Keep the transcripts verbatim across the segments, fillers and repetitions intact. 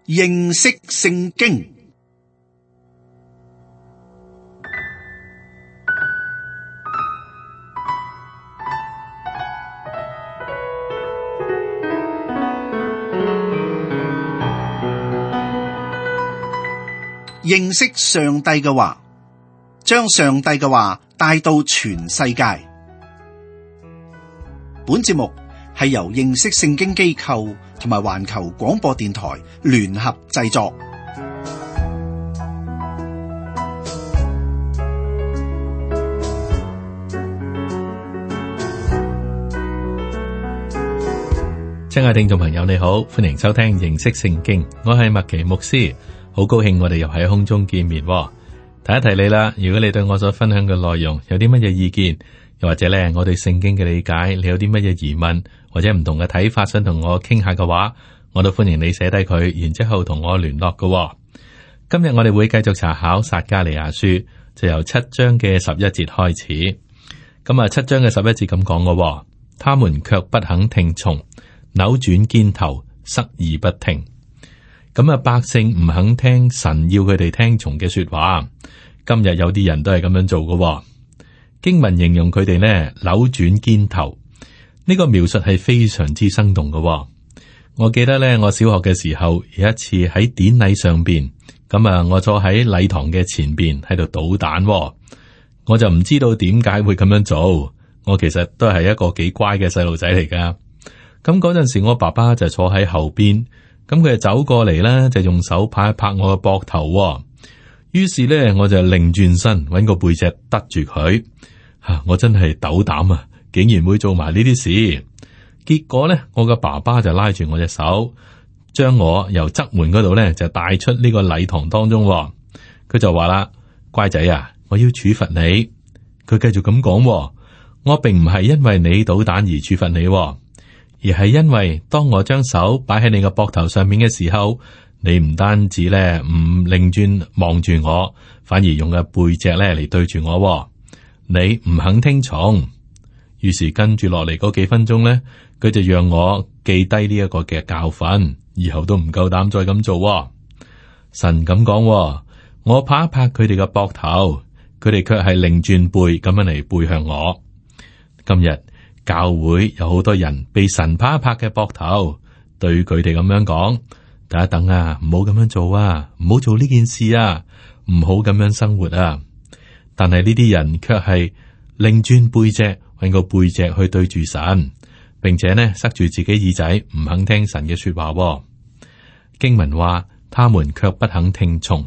認識聖經。認識上帝嘅話，將上帝嘅話帶到全世界。本節目係由認識聖經機構同埋環球廣播電台聯合製作。親愛的聽眾朋友，你好，歡迎收聽認識聖經，我係麥奇牧師。好高興我哋又喺空中見面，提一提你啦。如果你對我所分享嘅內容有啲乜嘢意見，又或者咧我對聖經嘅理解，你有啲乜嘢疑問或者唔同嘅睇法，想同我傾下嘅話，我都歡迎你寫低佢，然之後同我聯絡嘅。今日我哋會繼續查考撒迦利亞書，就由七章嘅十一節開始。咁啊，七章嘅十一節咁講嘅，他們卻不肯聽從，扭轉肩頭，塞耳不聽。咁啊，百姓唔肯聽神要佢哋聽從嘅說話。今日有啲人都係咁樣做嘅。經文形容佢哋呢，扭轉肩頭，呢個描述係非常之生動嘅。我記得呢，我小學嘅時候有一次喺典禮上邊，咁啊，我坐喺禮堂嘅前邊喺度搗蛋，我就唔知道點解會咁樣做。我其實都係一個幾乖嘅細路仔嚟噶。咁嗰陣時，我爸爸就坐喺後邊。咁佢就走過嚟啦，就用手拍一拍我嘅膊頭。於是咧，我就擰轉身，搵個背脊得住佢。吓、啊，我真係斗膽啊，竟然會做埋呢啲事。結果咧，我嘅爸爸就拉住我隻手，將我由側門嗰度咧就帶出呢個禮堂當中。佢就話啦：乖仔啊，我要處罰你。佢繼續咁講：我並唔係因為你搗蛋而處罰你。而係因為當我將手擺喺你個膊頭上面嘅時候，你唔單止咧唔擰轉望住我，反而用個背脊咧嚟對住我。你唔肯聽從，於是跟住落嚟嗰幾分鐘咧，佢就讓我記低呢一個嘅教訓，以後都唔夠膽再咁做。神咁講，我拍一拍佢哋嘅膊頭，佢哋卻係擰轉背咁樣嚟背向我。今日教會有好多人被神拍一拍嘅膊頭，對佢哋咁樣講：等一等啊，唔好咁樣做啊，唔好做呢件事啊，唔好咁樣生活啊。但係呢啲人卻係擰轉背脊，揾個背脊去對住神，並且呢塞住自己耳仔，唔肯聽神嘅說話。經文話：他們卻不肯聽從，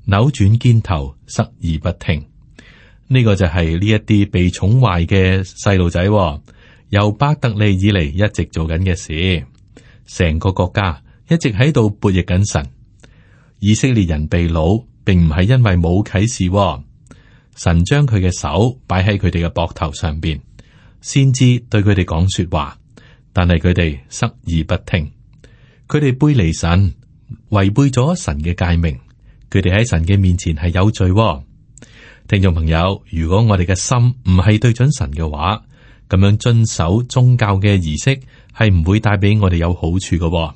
扭轉肩頭，塞耳不聽。呢個就係呢一啲被寵壞嘅細路仔，由伯特利以嚟一直做緊嘅事，成個國家一直喺度悖逆緊神。以色列人被擄，並唔係因為冇啟示，神將佢嘅手擺喺佢哋嘅膊頭上邊，先知對佢哋講說話，但係佢哋塞耳不聽，佢哋背離神，違背咗神嘅誡命，佢哋喺神嘅面前係有罪。聽眾朋友，如果我哋嘅心唔係對準神嘅話，咁樣遵守宗教嘅儀式係唔會帶俾我哋有好處嘅。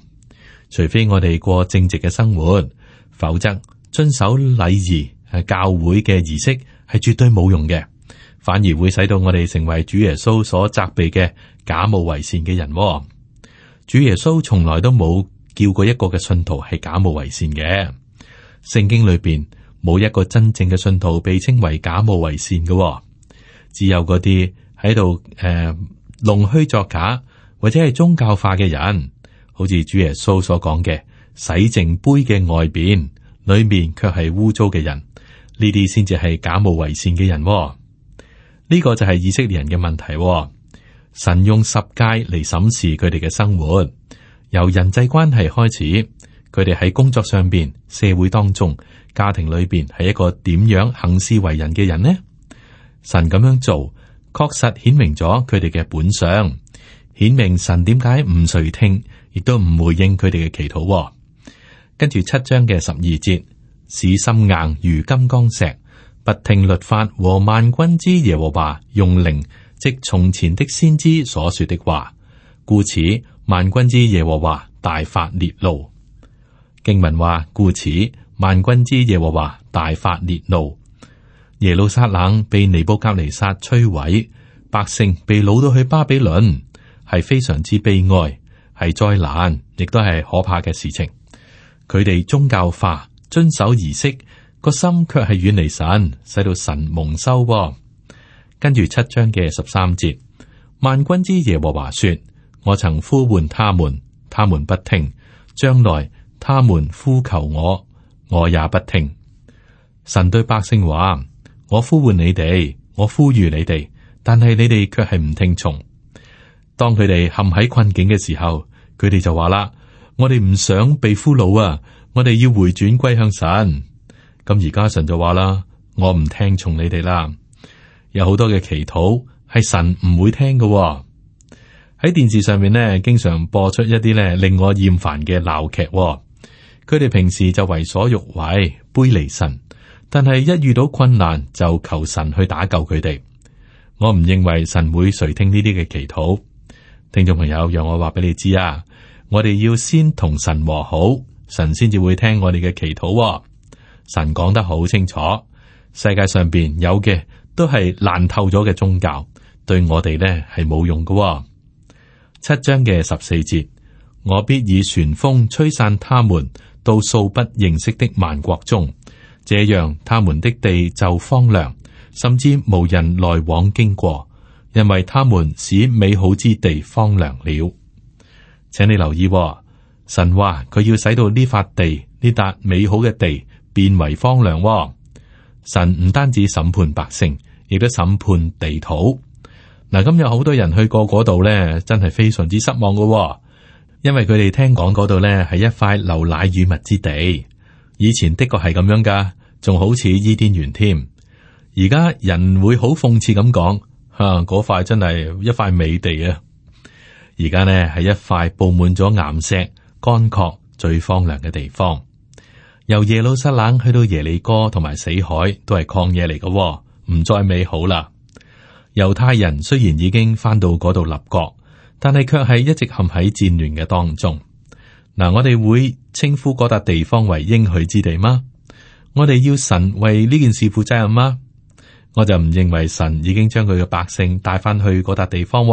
除非我哋過正直嘅生活，否則遵守禮儀係教會嘅儀式係絕對冇用嘅，反而會使到我哋成為主耶穌所責備嘅假冒為善嘅人。主耶穌從來都冇叫過一個嘅信徒係假冒為善嘅，聖經裏邊冇一個真正嘅信徒被稱為假冒為善嘅。哦，只有嗰啲喺度誒弄虛作假或者係宗教化嘅人，好似主耶穌所講嘅，洗淨杯嘅外邊，裏面卻係污糟嘅人，呢啲先至係假冒為善嘅人。哦。呢、這個就係以色列人嘅問題。哦。神用十誡嚟審視佢哋嘅生活，由人際關係開始，佢哋喺工作上邊、社會當中、家庭裏邊係一個點樣行事為人嘅人呢？神咁樣做，確實顯明咗佢哋嘅本相，顯明神點解唔垂聽，亦都唔回應佢哋嘅祈禱。跟住七章嘅十二節，使心硬如金剛石，不聽律法和萬軍之耶和華用靈，即從前的先知所說的話，故此萬軍之耶和華大發烈怒。經文話，故此萬軍之耶和華大發烈怒，耶路撒冷被尼布甲尼撒摧毀，百姓被擄到去巴比倫，係非常之悲哀，係災難，亦都係可怕嘅事情。佢哋宗教化，遵守儀式，個心卻係遠離神，使到神蒙羞。跟住七章嘅十三節，萬軍之耶和華說：我曾呼喚他們，他們不聽；將來他們呼求我，我也不聽。神對百姓話：我呼喚你哋，我呼籲你哋，但係你哋卻係唔聽從。當佢哋陷喺困境嘅時候，佢哋就話啦：我哋唔想被俘虜啊，我哋要回轉歸向神。咁而家神就話啦：我唔聽從你哋啦。有好多嘅祈禱係神唔會聽嘅喎。喺電視上面呢，經常播出一啲咧令我厭煩嘅鬧劇喎。佢哋平時就為所欲為，背離神，但係一遇到困難就求神去打救佢哋。我唔認為神會垂聽呢啲嘅祈禱。聽眾朋友，讓我話俾你知啊，我哋要先同神和好，神先至會聽我哋嘅祈禱喎。神講得好清楚，世界上邊有嘅都係爛透咗嘅宗教，對我哋呢係冇用嘅喎。七章嘅十四節，我必以旋風吹散他們到素不認識的萬國中，這樣他們的地就荒涼，甚至無人來往經過，因為他們使美好之地荒涼了。請你留意喎，神話佢要使到呢塊地，呢笪美好嘅地變為荒涼喎。神唔單止審判百姓，亦都審判地土。嗱，咁有好多人去過嗰度咧，真係非常之失望噶喎，因為佢哋聽講嗰度咧係一塊流奶與蜜之地。以前的確係咁樣噶，仲好似伊甸園添。而家人會好諷刺咁講，吓，嗰塊真係一塊美地啊！而家呢係一塊布滿咗岩石、乾涸、最荒涼嘅地方。由耶路撒冷去到耶利哥同埋死海都係曠野嚟嘅，唔再美好啦。猶太人雖然已經翻到嗰度立國，但係卻係一直陷喺戰亂嘅當中。嗱，我哋會稱呼嗰笪地方為應許之地嗎？我哋要神為呢件事負責任嗎？我就唔認為神已經將佢嘅百姓帶翻去嗰笪地方。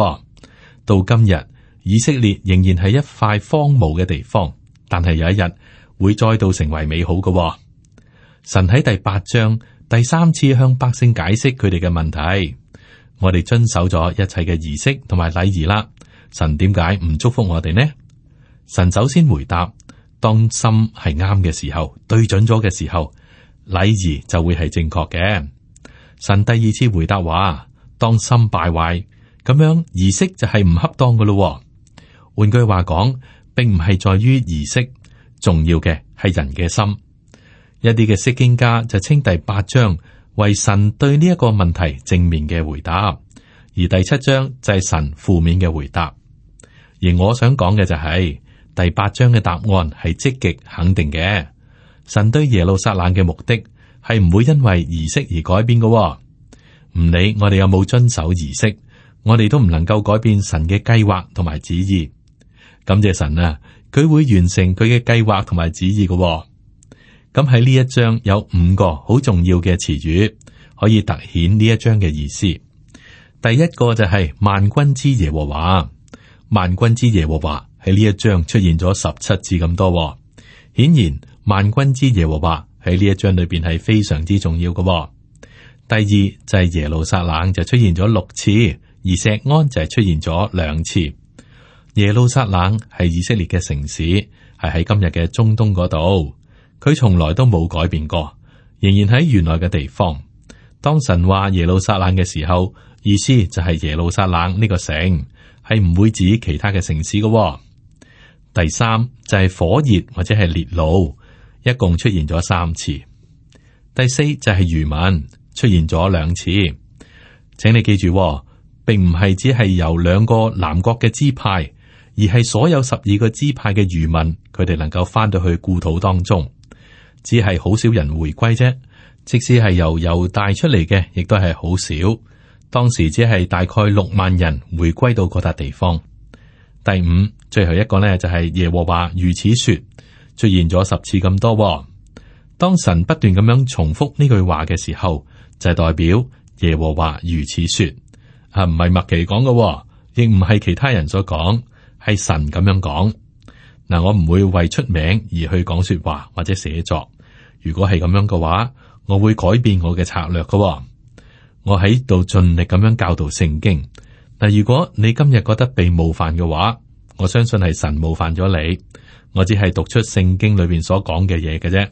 到今日，以色列仍然係一塊荒蕪嘅地方，但係有一日會再度成為美好嘅。神喺第八章第三次向百姓解釋佢哋嘅問題。我哋遵守咗一切嘅儀式同埋禮儀啦，神點解唔祝福我哋呢？神首先回答：當心係啱嘅時候，對準咗嘅時候，禮儀就會係正確嘅。神第二次回答話：當心敗壞，咁樣儀式就係唔恰當噶咯。換句話講，並唔係在於儀式，重要嘅係人嘅心。一啲嘅釋經家就稱第八章為神對呢一個問題正面嘅回答，而第七章就係神負面嘅回答。而我想講嘅就係、是、第八章嘅答案係積極肯定嘅。神對耶路撒冷嘅目的係唔會因為儀式而改變嘅、哦。唔理我哋有冇遵守儀式，我哋都唔能夠改變神嘅計劃同埋旨意。感謝神啊，佢會完成佢嘅計劃同埋旨意嘅、哦。咁喺呢一章有五個好重要嘅詞語，可以凸顯呢一章嘅意思。第一個就係萬軍之耶和華，萬軍之耶和華喺呢一章出現咗十七次咁多、哦。顯然萬軍之耶和華喺呢一章裏邊係非常之重要嘅、哦。第二就係耶路撒冷就出現咗六次，而錫安就係出現咗兩次。耶路撒冷係以色列嘅城市，係喺今日嘅中東嗰度。佢從來都冇改變過，仍然喺原來嘅地方。當神話耶路撒冷嘅時候，意思就係耶路撒冷呢個城，係唔會指其他嘅城市嘅、哦。第三就係火熱或者係烈怒，一共出現咗三次。第四就係餘民，出現咗兩次。請你記住、哦，並唔係只係由兩個南國嘅支派，而係所有十二個支派嘅餘民，佢哋能夠翻到去故土當中。只係好少人回歸啫，即使係由猶大出嚟嘅，亦都係好少。當時只係大概六萬人回歸到嗰笪地方。第五，最後一個呢，就係耶和華如此說：出現咗十次咁多。當神不斷咁樣重複呢句話嘅時候，就係代表耶和華如此說，啊，唔係麥奇講嘅，亦唔係其他人所講，係神咁樣講。嗱，我唔會為出名而去講說話或者寫作。如果係咁樣嘅話，我會改變我嘅策略嘅。我喺度盡力咁樣教導聖經。嗱，如果你今日覺得被冒犯嘅話，我相信係神冒犯咗你。我只係讀出聖經裏邊所講嘅嘢嘅啫。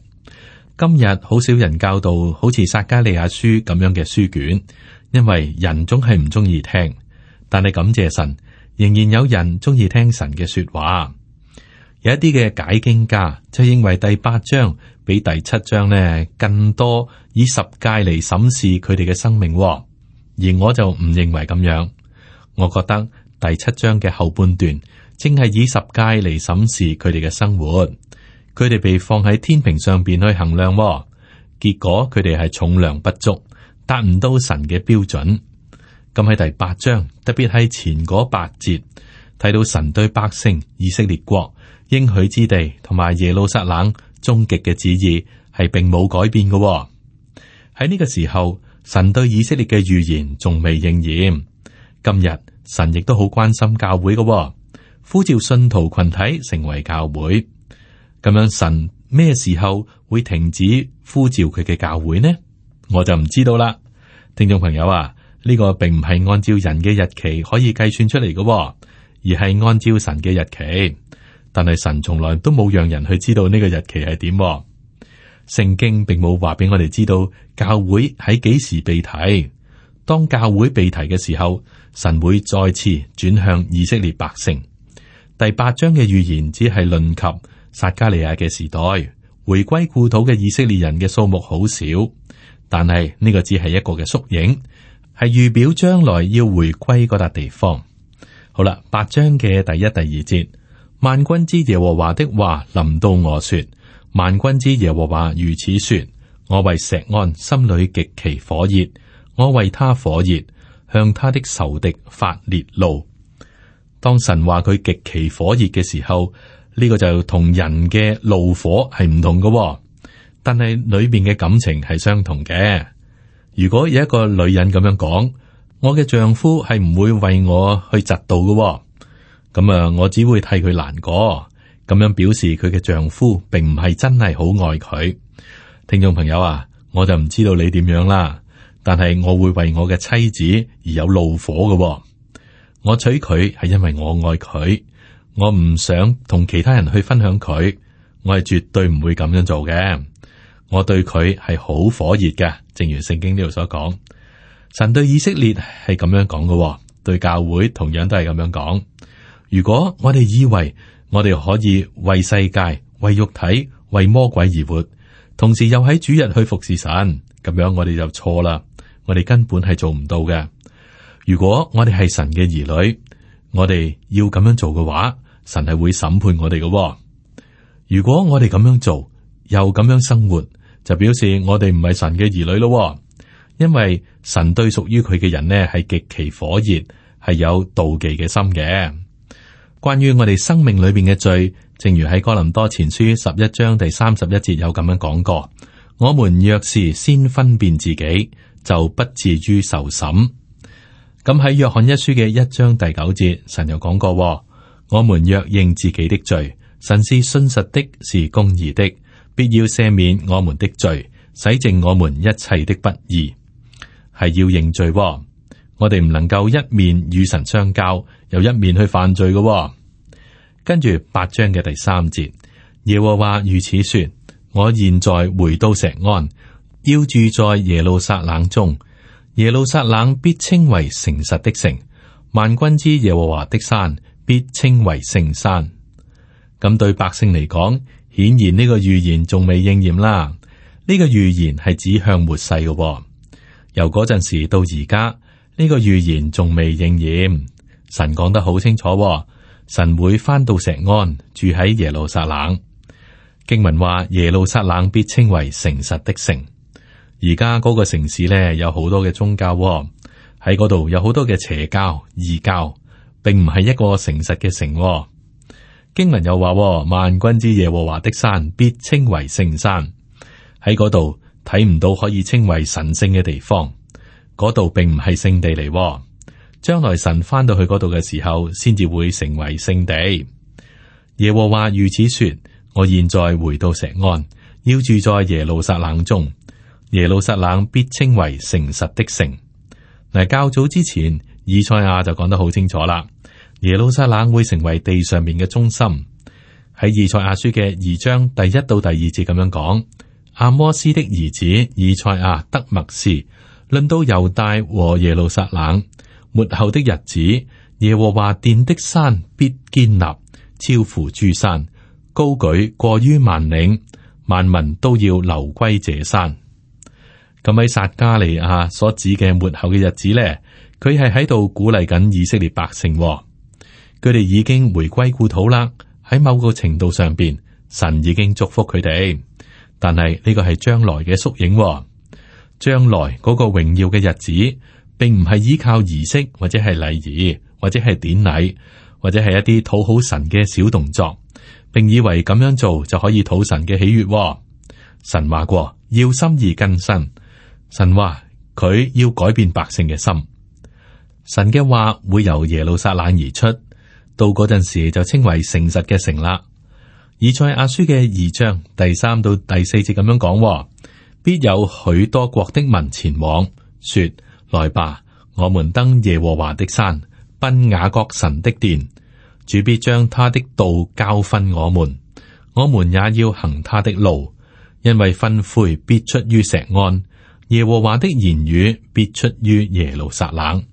今日好少人教導好似撒迦利亞書咁樣嘅書卷，因為人總係唔中意聽。但係感謝神，仍然有人中意聽神嘅說話。有一啲嘅解經家就認為第八章比第七章呢更多以十誡嚟審視佢哋嘅生命，而我就唔認為咁樣。我覺得第七章嘅後半段正係以十誡嚟審視佢哋嘅生活，佢哋被放喺天平上邊去衡量，結果佢哋係重量不足，達唔到神嘅標準。咁喺第八章，特別係前嗰八節，睇到神對百姓以色列國應許之地同埋耶路撒冷終極嘅旨意係並冇改變嘅。喺呢個時候，神對以色列嘅預言仲未應驗。今日神亦都好關心教會嘅，呼召信徒群體成為教會。咁樣神咩時候會停止呼召佢嘅教會呢？我就唔知道啦。聽眾朋友啊，呢個並唔係按照人嘅日期可以計算出嚟嘅，而係按照神嘅日期。但係神從來都冇讓人去知道呢個日期係點。聖經並冇話俾我哋知道教會喺幾時被提。當教會被提嘅時候，神會再次轉向以色列百姓。第八章嘅預言只係論及撒迦利亞嘅時代，回歸故土嘅以色列人嘅數目好少，但係呢個只係一個嘅縮影，係預表將來要回歸嗰笪地方。好啦，八章嘅第一、第二節。萬軍之耶和華的話臨到我說，萬軍之耶和華如此說，我為錫安心裏極其火熱，我為他火熱，向他的仇敵發烈怒。當神話佢極其火熱嘅時候，呢、這個就同人嘅怒火係唔同嘅，但係裏面嘅感情係相同嘅。如果有一個女人咁樣講，我嘅丈夫係唔會為我去嫉妒嘅。咁啊，我只會替佢難過，咁樣表示佢嘅丈夫並唔係真係好愛佢。聽眾朋友啊，我就唔知道你點樣啦，但係我會為我嘅妻子而有怒火嘅。我娶佢係因為我愛佢，我唔想同其他人去分享佢，我係絕對唔會咁樣做嘅。我對佢係好火熱嘅，正如聖經呢度所講。神對以色列係咁樣講嘅，對教會同樣都係咁樣講。如果我哋以為我哋可以為世界、為肉體、為魔鬼而活，同時又喺主日去服侍神，咁樣我哋就錯啦。我哋根本係做唔到嘅。如果我哋係神嘅兒女，我哋要咁樣做嘅話，神係會審判我哋嘅。如果我哋咁樣做，又咁樣生活，就表示我哋唔係神嘅兒女咯。因為神對屬於佢嘅人呢係極其火熱，係有妒忌嘅心嘅。關於我哋生命裏邊嘅罪，正如喺哥林多前書十一章第三十一節有咁樣講過：我們若是先分辨自己，就不至於受審。咁喺約翰一書嘅一章第九節，神又講過：我們若認自己的罪，神是信實的，是公義的，必要赦免我們的罪，洗淨我們一切的不義。係要認罪。我哋唔能夠一面與神相交，又一面去犯罪嘅、哦。跟住八章嘅第三節，耶和華如此說：我現在回到錫安，要住在耶路撒冷中。耶路撒冷必稱為誠實的城，萬軍之耶和華的山必稱為聖山。咁對百姓嚟講，顯然呢個預言仲未應驗啦。呢、這個預言係指向末世嘅、哦，由嗰陣時到而家。呢個預言仲未應驗，神講得好清楚、哦，神會翻到錫安，住喺耶路撒冷。經文話耶路撒冷必稱為誠實的城。而家嗰個城市咧有好多嘅宗教、哦，喺嗰度有好多嘅邪教、異教，並唔係一個誠實嘅城、哦。經文又話：萬軍之耶和華的山必稱為聖山。喺嗰度睇唔到可以稱為神聖嘅地方，嗰度並唔係聖地嚟。將來神翻到去嗰度嘅時候，先至會成為聖地。耶和華如此說：我現在回到錫安，要住在耶路撒冷中，耶路撒冷必稱為誠實的城。嗱，較早之前以賽亞就講得好清楚啦。耶路撒冷會成為地上面嘅中心。喺以賽亞書嘅二章第一到第二節咁樣講，阿摩斯的兒子以賽亞得默示，論到猶大和耶路撒冷末後的日子，耶和華殿的山必堅立，超乎諸山，高舉過於萬嶺，萬民都要流歸這山。咁喺撒迦利亞所指嘅末後嘅日子咧，佢係喺度鼓勵緊以色列百姓。佢哋已經回歸故土啦，喺某個程度上邊，神已經祝福佢哋。但係呢個係將來嘅縮影，將來嗰個榮耀嘅日子，並唔係依靠儀式或者係禮儀或者係典禮或者係一啲討好神嘅小動作，並以為咁樣做就可以討神嘅喜悅。神話過要心意更新，神話佢要改變百姓嘅心。神嘅話會由耶路撒冷而出。到嗰陣時就稱為誠實嘅城啦。以賽亞書嘅二章第三到第四節咁樣講：必有許多國的民前往，說：來吧，我們登耶和華的山，奔雅各神的殿。主必將他的道教訓我們，我們也要行他的路，因為訓誨必出於錫安，耶和華的言語必出於耶路撒冷。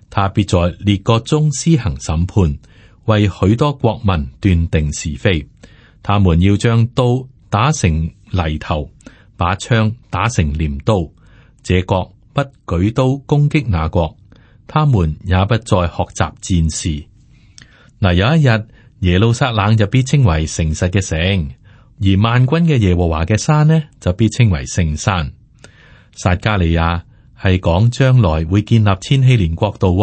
他必在列國中施行審判，為許多國民斷定是非。他們要將刀打成犁頭，把槍打成鐮刀。這國不舉刀攻擊那國，他們也不再學習戰事。嗱，有一日耶路撒冷就必稱為誠實嘅城，而萬軍嘅耶和華嘅山呢，就必稱為聖山。撒迦利亞係講將來會建立千禧年國度，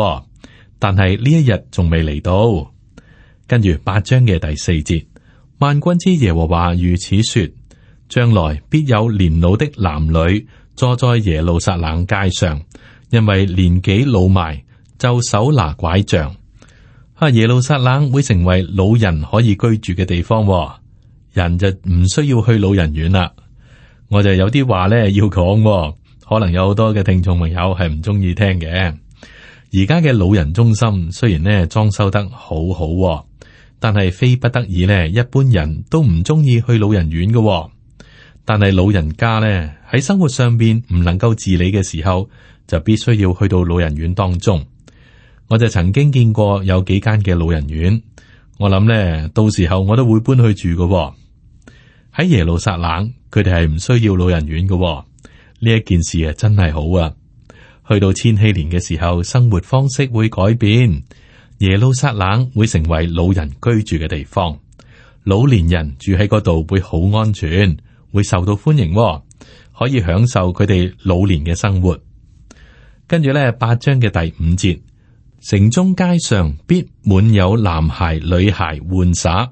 但係呢一日仲未嚟到。跟住八章嘅第四節，萬軍之耶和華如此說：將來必有年老的男女坐在耶路撒冷街上，因為年紀老邁，就手拿拐杖。啊，耶路撒冷會成為老人可以居住嘅地方，人就唔需要去老人院啦。我就有啲話咧要講，可能有好多嘅聽眾朋友係唔中意聽嘅。而家嘅老人中心雖然咧裝修得好好，但係非不得已咧，一般人都唔中意去老人院嘅。但係老人家咧喺生活上邊唔能夠自理嘅時候，就必須要去到老人院當中。我就曾經見過有幾間嘅老人院，我諗咧到時候我都會搬去住嘅。喺耶路撒冷，佢哋係唔需要老人院嘅。呢一件事啊，真係好啊！去到千禧年嘅時候，生活方式會改變，耶路撒冷會成為老人居住嘅地方。老年人住喺嗰度會好安全，會受到歡迎，可以享受佢哋老年嘅生活。跟住咧，八章嘅第五節，城中街上必滿有男孩、女孩玩耍。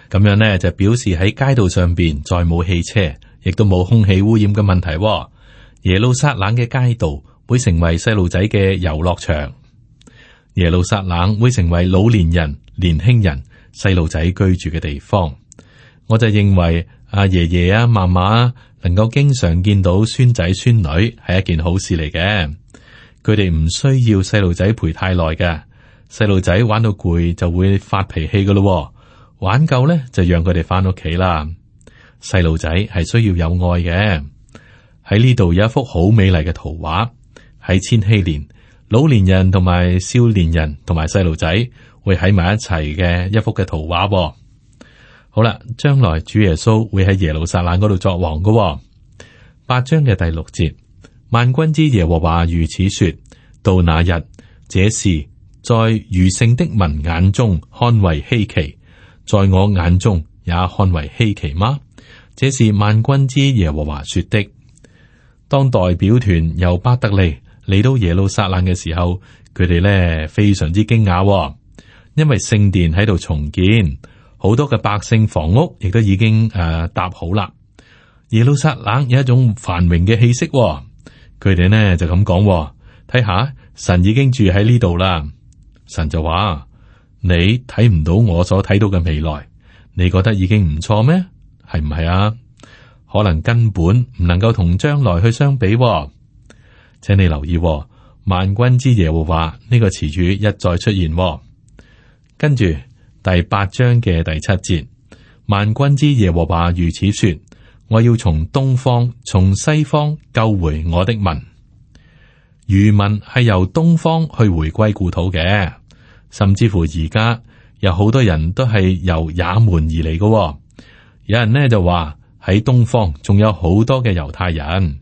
咁樣呢，就表示喺街道上邊再冇汽車，亦都冇空氣污染嘅問題。耶路撒冷嘅街道會成為細路仔嘅遊樂場，耶路撒冷會成為老年人、年輕人、細路仔居住嘅地方。我就認為阿爺爺啊、嫲嫲能夠經常見到孫仔孫女係一件好事嚟嘅。佢哋唔需要細路仔陪太耐嘅，細路仔玩到攰就會發脾氣噶咯，玩夠咧就讓佢哋翻屋企啦。細路仔係需要有愛嘅。喺呢度有一幅好美麗嘅圖畫，喺千禧年，老年人同埋少年人同埋細路仔會喺埋一齊嘅一幅嘅圖畫。好啦，將來主耶穌會喺耶路撒冷嗰度作王嘅。八章嘅第六節，萬軍之耶和華如此說：到那日，這事在餘剩的民眼中看為稀奇，在我眼中也看為稀奇嗎？這是萬軍之耶和華說的。當代表團由伯特利嚟到耶路撒冷嘅時候，佢哋咧非常之驚訝，因為聖殿喺度重建，好多嘅百姓房屋亦都已經誒搭好啦。耶路撒冷有一種繁榮嘅氣息，佢哋呢就咁講，睇下神已經住喺呢度啦。神就話：你睇唔到我所睇到嘅未來，你覺得已經唔錯咩？係唔係啊？可能根本唔能夠同將來去相比。請你留意，萬軍之耶和華呢個詞語一再出現。跟住第八章嘅第七節，萬軍之耶和華如此說：我要從東方、從西方救回我的民。餘民係由東方去回歸故土嘅，甚至乎而家有好多人都係由也門而嚟嘅。有人呢就話喺東方仲有好多嘅猶太人。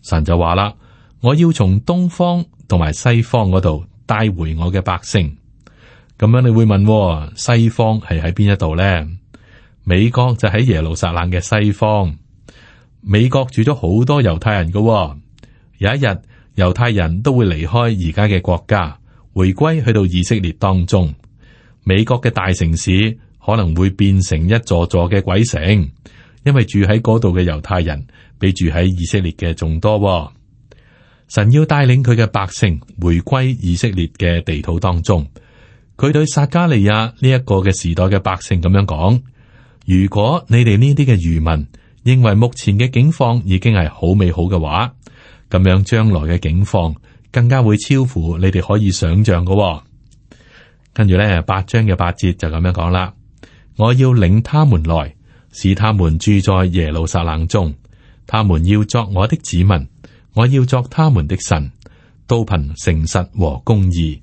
神就話啦：我要從東方同埋西方嗰度帶回我嘅百姓。咁樣你會問，西方係喺邊一度呢？美國就喺耶路撒冷嘅西方。美國住咗好多猶太人嘅，有一日猶太人都會離開而家嘅國家，回歸去到以色列當中。美國嘅大城市可能會變成一座座嘅鬼城，因為住喺嗰度嘅猶太人比住喺以色列嘅仲多。神要帶領佢嘅百姓回歸以色列嘅地土當中。佢對撒迦利亞呢一個嘅時代嘅百姓咁樣講：如果你哋呢啲嘅餘民認為目前嘅境況已經係好美好嘅話，咁樣將來嘅境況更加會超乎你哋可以想象嘅。跟住咧，八章嘅八節就咁樣講啦：我要領他們來，使他們住在耶路撒冷中，他們要作我的子民，我要作他們的神，都憑誠實和公義。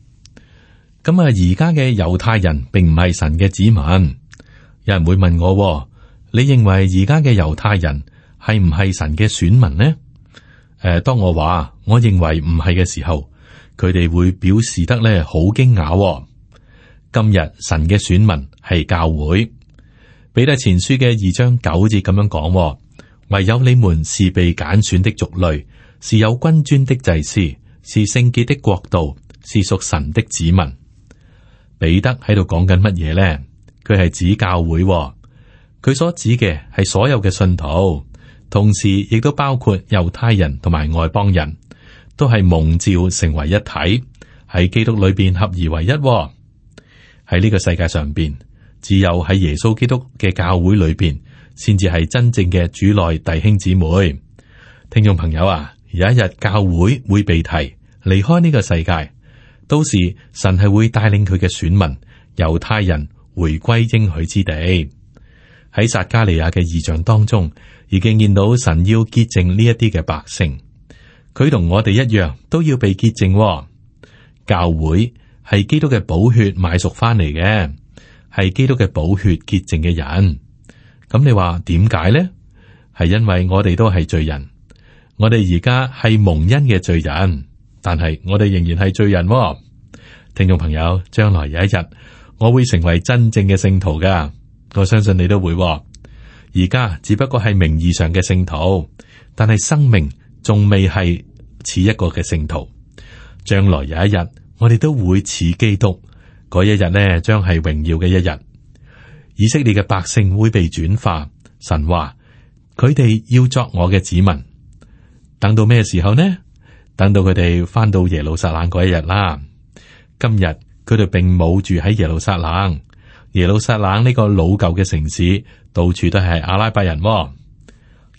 咁啊，而家嘅猶太人並唔係神嘅子民。有人會問我：你認為而家嘅猶太人係唔係神嘅選民呢？誒、呃，當我話我認為唔係嘅時候，佢哋會表示得咧好驚訝。今日神嘅選民係教會。彼得前書嘅二章九節咁樣講：唯有你們是被揀選的族類，是有君尊的祭司，是聖潔的國度，是屬神的子民。彼得喺度講緊乜嘢呢？佢係指教會，佢所指嘅係所有嘅信徒，同時亦都包括猶太人同埋外邦人，都係蒙召成為一體，喺基督裏邊合而為一。喺呢個世界上邊，只有喺耶穌基督嘅教會裏邊，先至係真正嘅主內弟兄姊妹。聽眾朋友啊，有一日教會會被提離開呢個世界。到時神係會帶領佢嘅選民猶太人回歸應許之地。喺撒迦利亞嘅異象當中，已經見到神要潔淨呢一啲嘅百姓，佢同我哋一樣都要被潔淨。教會係基督嘅寶血買贖翻嚟嘅，係基督嘅寶血潔淨嘅人。咁你話點解呢？係因為我哋都係罪人，我哋而家係蒙恩嘅罪人。但係我哋仍然係罪人。聽眾朋友，將來有一日我會成為真正嘅聖徒噶，我相信你都會。而家只不過係名義上嘅聖徒，但係生命仲未係似一個嘅聖徒。將來有一日我哋都會似基督，嗰一日呢，將係榮耀嘅一日。以色列嘅百姓會被轉化，神話佢哋要作我嘅子民。等到咩時候呢？等到佢哋翻到耶路撒冷嗰一日啦。今日佢哋並冇住喺耶路撒冷，耶路撒冷呢個老舊嘅城市，到處都係阿拉伯人。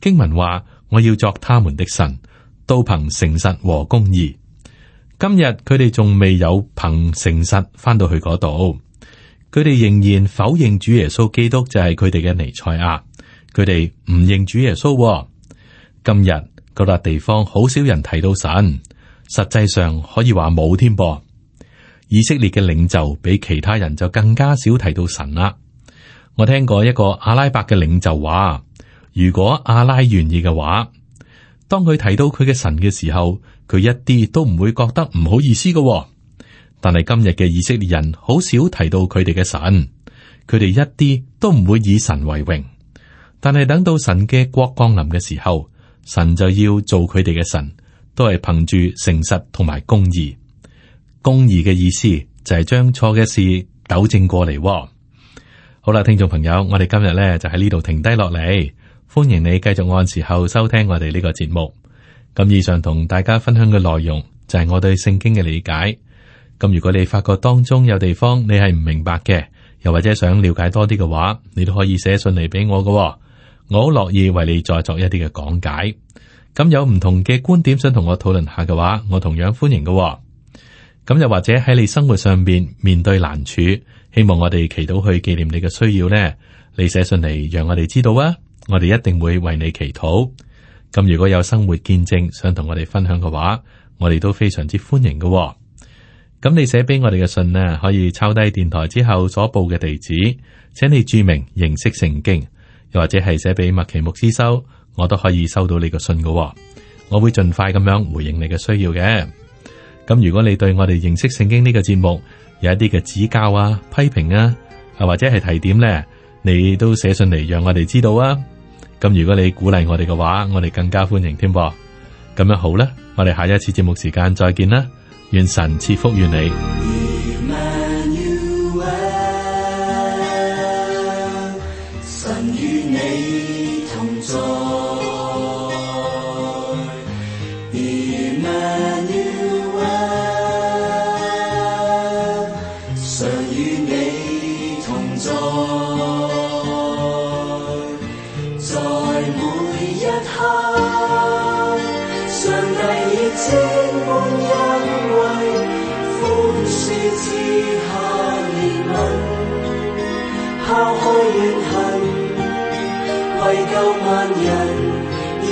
經文話：我要作他們的神，都憑誠實和公義。今日佢哋仲未有憑誠實翻到去嗰度，佢哋仍然否認主耶穌基督就係佢哋嘅彌賽亞，佢哋唔認主耶穌。今日嗰笪地方好少人提到神，實際上可以話冇添噃。以色列嘅領袖比其他人就更加少提到神啦。我聽過一個阿拉伯嘅領袖話，如果阿拉願意嘅話，當佢提到佢嘅神嘅時候，佢一啲都唔會覺得唔好意思嘅。但係今日嘅以色列人好少提到佢哋嘅神，佢哋一啲都唔會以神為榮。但係等到神嘅國降臨嘅時候，神就要做佢哋嘅神，都係憑住誠實同埋公義。公義嘅意思就係將錯嘅事糾正過嚟。好啦，聽眾朋友，我哋今日咧就喺呢度停低落嚟，歡迎你繼續按時候收聽我哋呢個節目。咁以上同大家分享嘅內容就係我對聖經嘅理解。咁如果你發覺當中有地方你係唔明白嘅，又或者想了解多啲嘅話，你都可以寫信嚟俾我㗎喎。我好樂意為你再作一啲嘅講解。咁有唔同嘅觀點想同我討論下嘅話，我同樣歡迎㗎喎。咁又或者喺你生活上邊面對難處，希望我哋祈禱去紀念你嘅需要呢，你寫信嚟讓我哋知道啊，我哋一定會為你祈禱。咁如果有生活見證想同我哋分享嘅話，我哋都非常之歡迎㗎喎。咁你寫俾我哋嘅信呢，可以抄低電台之後所報嘅地址，請你注明認識聖經，又或者係寫俾麥奇牧師收，我都可以收到你個信㗎喎。我會盡快咁樣回應你嘅需要嘅。咁如果你對我哋認識聖經呢個節目有一啲嘅指教啊、批評啊，啊或者係提點呢，你都寫信嚟讓我哋知道啊。咁如果你鼓勵我哋嘅話，我哋更加歡迎添噃。咁樣好啦，我哋下一次節目時間再見啦，願神賜福於你。神與你同在。拋開怨恨，為救萬人而